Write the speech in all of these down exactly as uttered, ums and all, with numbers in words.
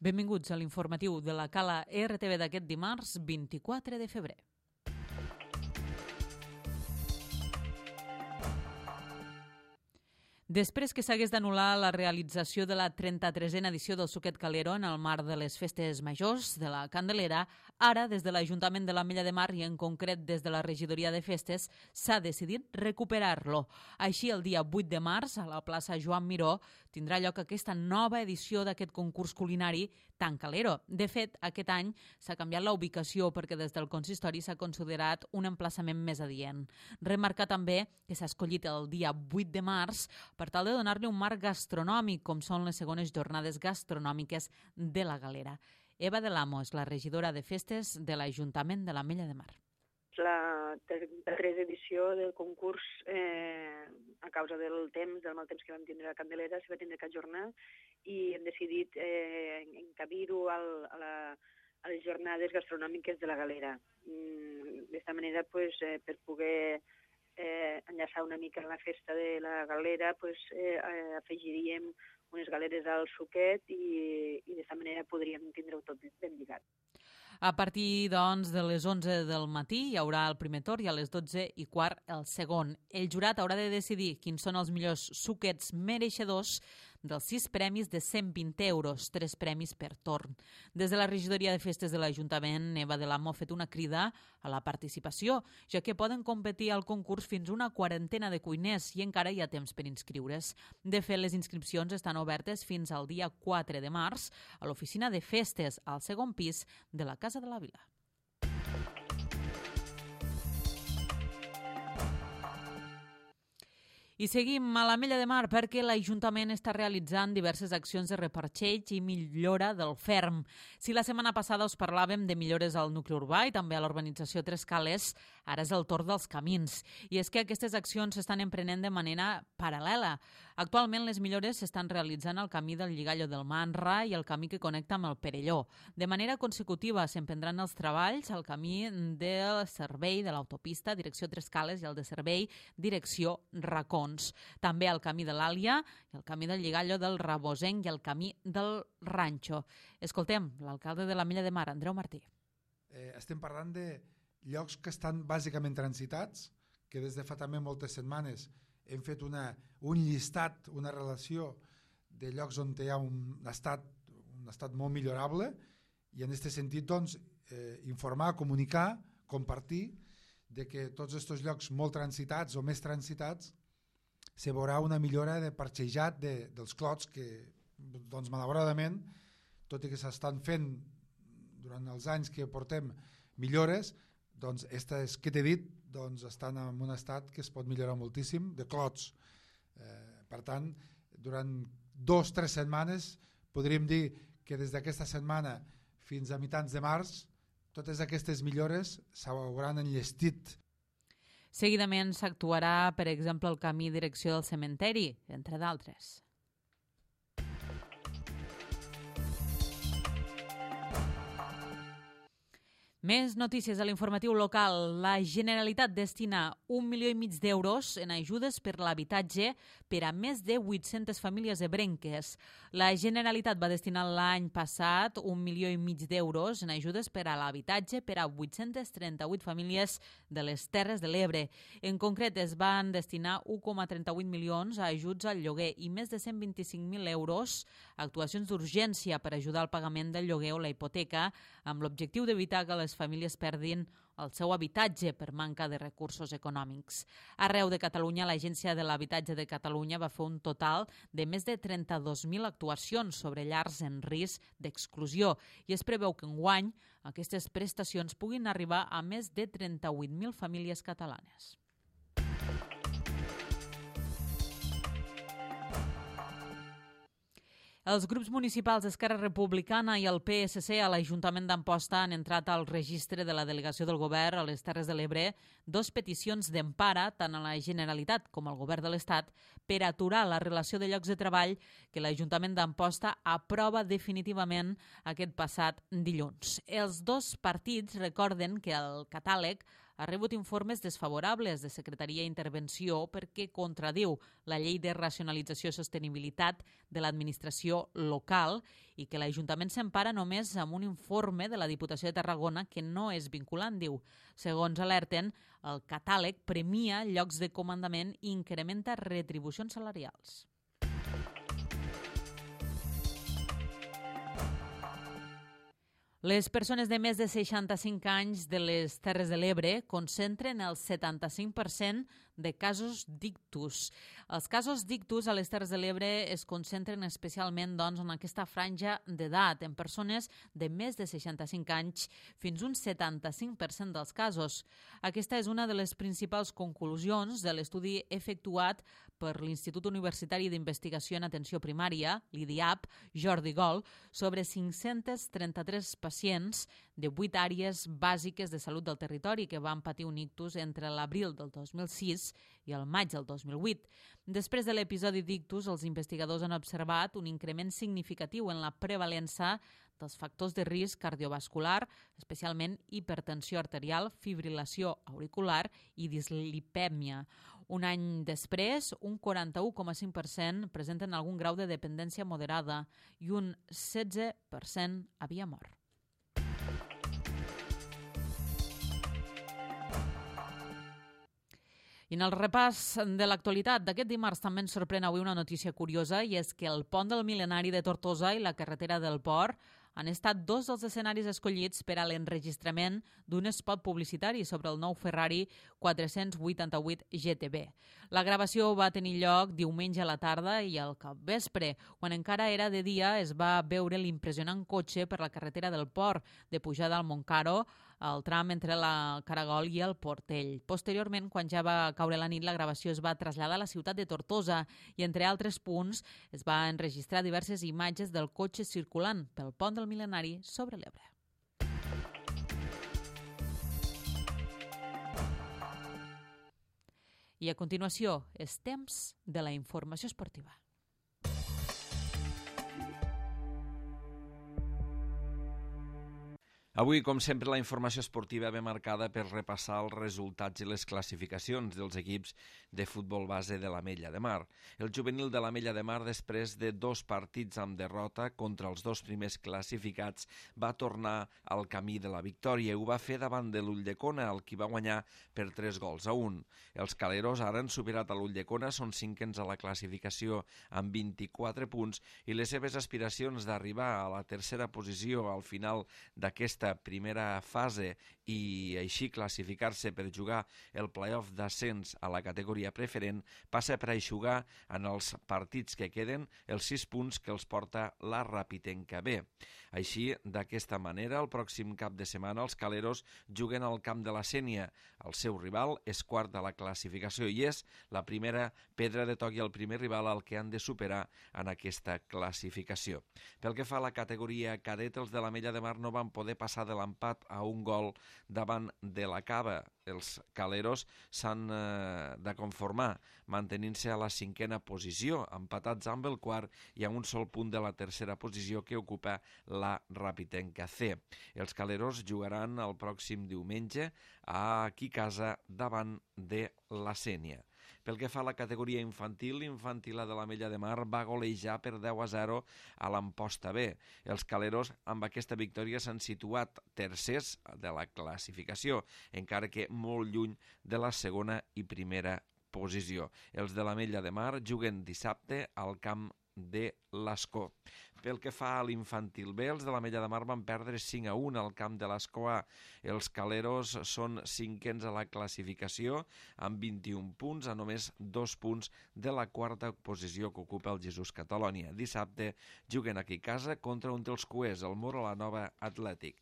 Benvinguts a l'informatiu de la Cala R T V d'aquest dimarts vint-i-quatre de febrer. Després que s'hagués d'anul·lar la realització de la trenta-tresena edició del Suquet Calero en el marc de les festes majors de la Candelera, ara, des de l'Ajuntament de l'Ametlla de Mar i en concret des de la Regidoria de Festes, s'ha decidit recuperar-lo. Així, el dia vuit de març, a la plaça Joan Miró, tindrà lloc aquesta nova edició d'aquest concurs culinari tan calero. De fet, aquest any s'ha canviat la ubicació perquè des del consistori s'ha considerat un emplaçament més adient. Remarcar també que s'ha escollit el dia vuit de març per tal de donar-li un marc gastronòmic, com són les segones jornades gastronòmiques de la Galera. Eva de l'Amo és la regidora de festes de l'Ajuntament de l'Ametlla de Mar. La tercera edició del concurs, eh, a causa del temps, del mal temps que vam tindre a Candelera, s'hi va tindre que ajornar i hem decidit eh, encabir-ho a, la, a les jornades gastronòmiques de la Galera. Mm, D'esta manera, pues, eh, per poder Eh, enllaçar una mica en la festa de la Galera, pues, eh, eh, afegiríem unes galeres al suquet i, i d'aquesta manera podríem tindre-ho tot ben lligat. A partir, doncs, de les onze del matí hi haurà el primer torn i a les dotze i quart el segon. El jurat haurà de decidir quins són els millors suquets mereixedors dels sis premis de cent vint euros, tres premis per torn. Des de la Regidoria de Festes de l'Ajuntament, Eva de l'Amo ha fet una crida a la participació, ja que poden competir al concurs fins una quarantena de cuiners i encara hi ha temps per inscriure's. De fet, les inscripcions estan obertes fins al dia quatre de març a l'oficina de festes al segon pis de la Casa de la Vila. I seguim a l'Ametlla de Mar perquè l'Ajuntament està realitzant diverses accions de reparxeig i millora del ferm. Si la setmana passada us parlàvem de millores al nucli urbà i també a l'urbanització Tres Cales, ara és el torn dels camins. I és que aquestes accions s'estan emprenent de manera paral·lela. Actualment les millores s'estan realitzant al camí del Lligallo del Manra i el camí que connecta amb el Perelló. De manera consecutiva s'emprendran els treballs al camí del servei de l'autopista direcció Tres Cales i el de servei direcció Racons. També el camí de l'Àlia, el camí del Lligallo del Rabosenc i el camí del Ranxo. Escoltem l'alcalde de l'Ametlla de Mar, Andreu Martí. Eh, estem parlant de llocs que estan bàsicament transitats, que des de fa també moltes setmanes hem fet una, un llistat, una relació de llocs on hi ha un estat, un estat molt millorable i en aquest sentit doncs, eh, informar, comunicar, compartir de que tots aquests llocs molt transitats o més transitats se veurà una millora de parxejat de, dels clots que, doncs, malauradament, tot i que s'estan fent durant els anys que portem millores, doncs, aquestes que t'he dit, doncs, estan en un estat que es pot millorar moltíssim, de clots. Eh, per tant, durant dos o tres setmanes podríem dir que des d'aquesta setmana fins a mitjans de març totes aquestes millores s'hauran enllestit. Seguidament s'actuarà, per exemple, el camí direcció del cementeri, entre d'altres. Més notícies a l'informatiu local. La Generalitat destina un milió i mig d'euros en ajudes per l'habitatge per a més de vuit-centes famílies ebrenques. La Generalitat va destinar l'any passat un milió i mig d'euros en ajudes per a l'habitatge per a vuit-centes trenta-vuit famílies de les Terres de l'Ebre. En concret, es van destinar un coma trenta-vuit milions a ajuts al lloguer i més de cent vint-i-cinc mil euros a actuacions d'urgència per ajudar al pagament del lloguer o la hipoteca amb l'objectiu d'evitar que les famílies perdin el seu habitatge per manca de recursos econòmics. Arreu de Catalunya, l'Agència de l'Habitatge de Catalunya va fer un total de més de trenta-dos mil actuacions sobre llars en risc d'exclusió i es preveu que enguany aquestes prestacions puguin arribar a més de trenta-vuit mil famílies catalanes. Els grups municipals d'Esquerra Republicana i el P S C a l'Ajuntament d'Amposta han entrat al registre de la delegació del govern a les Terres de l'Ebre dos peticions d'empara tant a la Generalitat com al govern de l'Estat per aturar la relació de llocs de treball que l'Ajuntament d'Amposta aprova definitivament aquest passat dilluns. Els dos partits recorden que el catàleg ha rebut informes desfavorables de Secretaria d'Intervenció perquè contradiu la llei de racionalització i sostenibilitat de l'administració local i que l'Ajuntament s'empara només amb un informe de la Diputació de Tarragona que no és vinculant, diu. Segons alerten, el catàleg premia llocs de comandament i incrementa retribucions salarials. Les persones de més de seixanta-cinc anys de les Terres de l'Ebre concentren el setanta-cinc per cent de casos d'ictus. Els casos d'ictus a les Terres de l'Ebre es concentren especialment doncs, en aquesta franja d'edat, en persones de més de seixanta-cinc anys, fins un setanta-cinc per cent dels casos. Aquesta és una de les principals conclusions de l'estudi efectuat per l'Institut Universitari d'Investigació en Atenció Primària, l'I D I A P, Jordi Gol, sobre cinc-cents trenta-tres pacients de vuit àrees bàsiques de salut del territori que van patir un ictus entre l'abril del dos mil sis i el maig del dos mil vuit. Després de l'episodi d'ictus, els investigadors han observat un increment significatiu en la prevalença dels factors de risc cardiovascular, especialment hipertensió arterial, fibrilació auricular i dislipèmia. Un any després, un quaranta-u coma cinc per cent presenten algun grau de dependència moderada i un setze per cent havia mort. I en el repàs de l'actualitat d'aquest dimarts també ens sorprèn avui una notícia curiosa i és que el pont del Mil·lenari de Tortosa i la carretera del Port han estat dos dels escenaris escollits per a l'enregistrament d'un spot publicitari sobre el nou Ferrari quatre-cents vuitanta-vuit G T B. La gravació va tenir lloc diumenge a la tarda i al capvespre. Quan encara era de dia es va veure l'impressionant cotxe per la carretera del Port, de pujada al Montcaro, al tram entre la Caragol i el Portell. Posteriorment, quan ja va caure la nit, la gravació es va traslladar a la ciutat de Tortosa i, entre altres punts, es va enregistrar diverses imatges del cotxe circulant pel pont del Mil·lenari sobre l'Ebre. I a continuació, és temps de la informació esportiva. Avui, com sempre, la informació esportiva ve marcada per repassar els resultats i les classificacions dels equips de futbol base de l'Ametlla de Mar. El juvenil de l'Ametlla de Mar, després de dos partits amb derrota contra els dos primers classificats, va tornar al camí de la victòria i ho va fer davant de l'Ulldecona, el qui va guanyar per tres gols a un. Els caleros ara han superat a l'Ulldecona, són cinquens a la classificació amb vint-i-quatre punts i les seves aspiracions d'arribar a la tercera posició al final d'aquesta primera fase i així classificar-se per jugar el play-off d'ascens a la categoria preferent passa per aixugar en els partits que queden els sis punts que els porta la Rapitenca B. Així, d'aquesta manera, el pròxim cap de setmana els caleros juguen al camp de la Sénia. El seu rival és quart de la classificació i és la primera pedra de toc i el primer rival al que han de superar en aquesta classificació. Pel que fa a la categoria cadet, els de l'Ametlla de Mar no van poder passar de l'empat a un gol davant de la Cava. Els caleros s'han eh, de conformar, mantenint-se a la cinquena posició, empatats amb el quart i a un sol punt de la tercera posició que ocupa la Rapitenca C. Els caleros jugaran el pròxim diumenge aquí a casa davant de la Sénia. Pel que fa a la categoria infantil, l'Infantil de l'Ametlla de Mar va golejar per deu a zero a l'Amposta B. Els caleros amb aquesta victòria s'han situat tercers de la classificació, encara que molt lluny de la segona i primera posició. Els de l'Ametlla de Mar juguen dissabte al camp de l'Escó. Pel que fa a l'Infantil B, els de l'Ametlla de Mar van perdre cinc a un al camp de l'Escó A. Els caleros són cinquens a la classificació amb vint-i-un punts, a només dos punts de la quarta posició que ocupa el Jesús Catalònia. Dissabte juguen aquí a casa contra un dels cuers, el Muro la Nova Atlètic.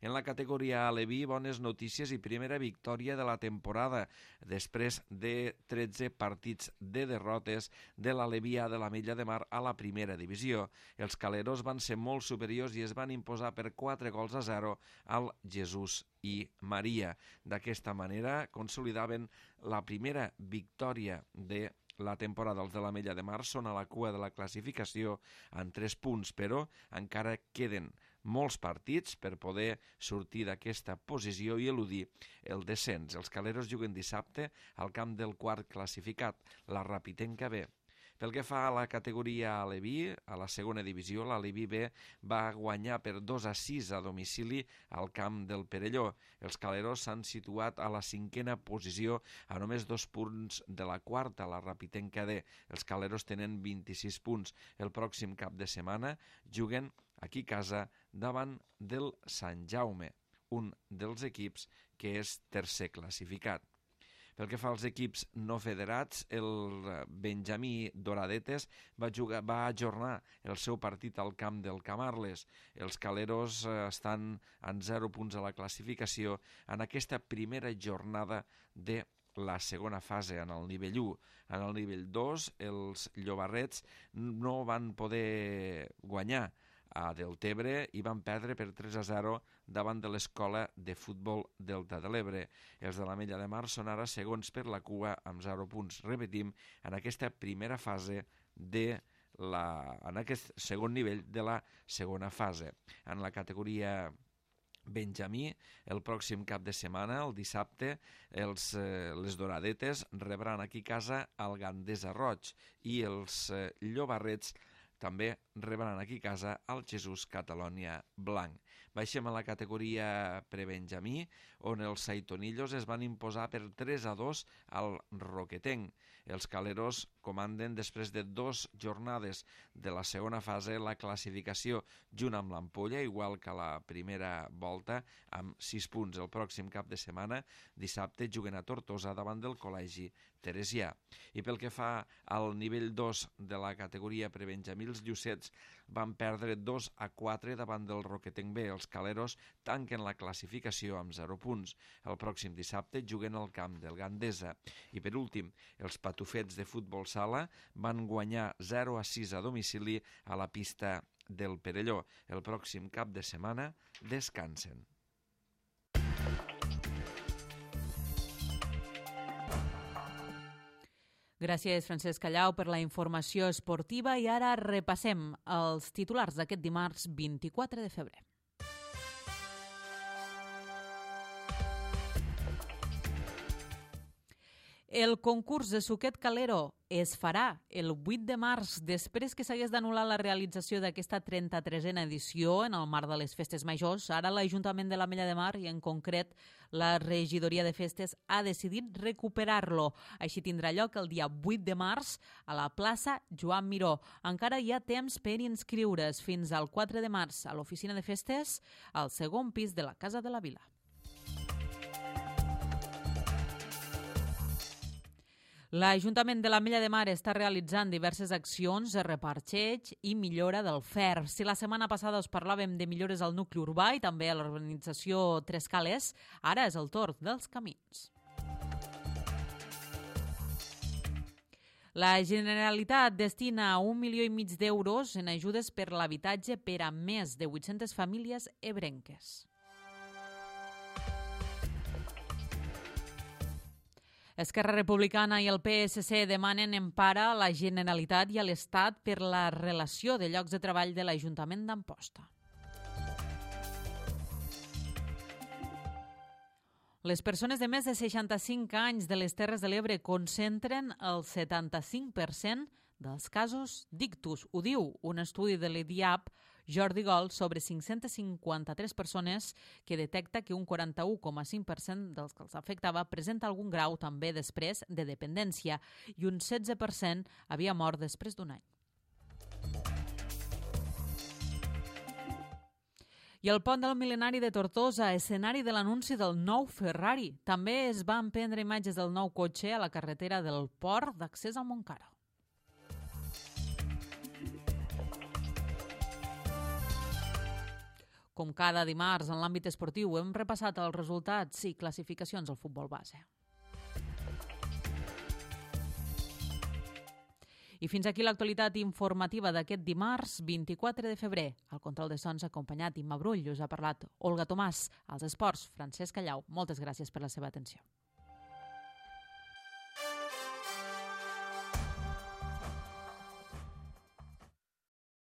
En la categoria Aleví, bones notícies i primera victòria de la temporada, després de tretze partits de derrotes de l'Aleví A de l'Ametlla de Mar a la primera divisió. Els caleros van ser molt superiors i es van imposar per quatre gols a zero al Jesús i Maria. D'aquesta manera consolidaven la primera victòria de la temporada. Els de l'Ametlla de Mar són a la cua de la classificació en tres punts, però encara queden molts partits per poder sortir d'aquesta posició i eludir el descens. Els caleros juguen dissabte al camp del quart classificat, la Rapitenca B. Pel que fa a la categoria Aleví, a la segona divisió, l'Aleví B va guanyar per dos a sis a domicili al camp del Perelló. Els caleros s'han situat a la cinquena posició a només dos punts de la quarta, la Rapitenca D. Els caleros tenen vint-i-sis punts. El pròxim cap de setmana juguen aquí a casa davant del Sant Jaume, un dels equips que és tercer classificat. Pel que fa als equips no federats, el Benjamí Doradetes va, jugar, va ajornar el seu partit al camp del Camarles. Els caleros estan en zero punts a la classificació en aquesta primera jornada de la segona fase en el nivell u. En el nivell dos, els llobarrets no van poder guanyar a Deltebre i van perdre per tres a zero davant de l'Escola de Futbol Delta de l'Ebre. Els de l'Ametlla de Mar són ara segons per la cua amb zero punts. Repetim, en aquesta primera fase de la, en aquest segon nivell de la segona fase. En la categoria Benjamí, el pròxim cap de setmana, el dissabte, els, eh, les Doradetes rebran aquí a casa el Gandesa Roig i els eh, Llobarrets també rebran aquí a casa el Jesús Catalònia Blanc. Baixem a la categoria prebenjamí, on els Saitonillos es van imposar per tres a dos al Roquetenc. Els caleros comanden després de dues jornades de la segona fase la classificació junt amb l'Ampolla, igual que la primera volta, amb sis punts. El pròxim cap de setmana, dissabte, juguen a Tortosa davant del Col·legi Teresià. I pel que fa al nivell dos de la categoria prebenjamí, els Llucets van perdre dos a quatre davant del Roquetenc B. Els caleros tanquen la classificació amb zero punts. El pròxim dissabte juguen al camp del Gandesa. I per últim, els patufets de futbol sala van guanyar zero a sis a domicili a la pista del Perelló. El pròxim cap de setmana descansen. Gràcies, Francesc Callau, per la informació esportiva i ara repassem els titulars d'aquest dimarts vint-i-quatre de febrer. El concurs de Suquet Calero es farà el vuit de març, després que s'hagués d'anul·lar la realització d'aquesta trenta-tresena edició en el marc de les Festes Majors. Ara l'Ajuntament de l'Ametlla de Mar i en concret la Regidoria de Festes ha decidit recuperar-lo. Així tindrà lloc el dia vuit de març a la plaça Joan Miró. Encara hi ha temps per inscriure's fins al quatre de març a l'oficina de festes al segon pis de la Casa de la Vila. L'Ajuntament de l'Ametlla de Mar està realitzant diverses accions de reparxeig i millora del Fer. Si la setmana passada us parlàvem de millores al nucli urbà i també a l'urbanització Tres Cales, ara és el torn dels camins. La Generalitat destina un milió i mig d'euros en ajudes per l'habitatge per a més de vuit-centes famílies ebrenques. Esquerra Republicana i el P S C demanen empara a la Generalitat i a l'Estat per la relació de llocs de treball de l'Ajuntament d'Amposta. Les persones de més de seixanta-cinc anys de les Terres de l'Ebre concentren el setanta-cinc per cent dels casos d'ictus. Ho diu un estudi de l'E D I A P Jordi Gol sobre cinc-centes cinquanta-tres persones que detecta que un quaranta-u coma cinc per cent dels que els afectava presenta algun grau també després de dependència i un setze per cent havia mort després d'un any. I el pont del Mil·lenari de Tortosa, escenari de l'anunci del nou Ferrari. També es van prendre imatges del nou cotxe a la carretera del port d'accés al Montcada. Com cada dimarts, en l'àmbit esportiu, hem repassat els resultats i classificacions al futbol base. I fins aquí l'actualitat informativa d'aquest dimarts, vint-i-quatre de febrer. Al control de sons acompanyat Imma Brull, us ha parlat Olga Tomàs. Als esports, Francesc Callau. Moltes gràcies per la seva atenció.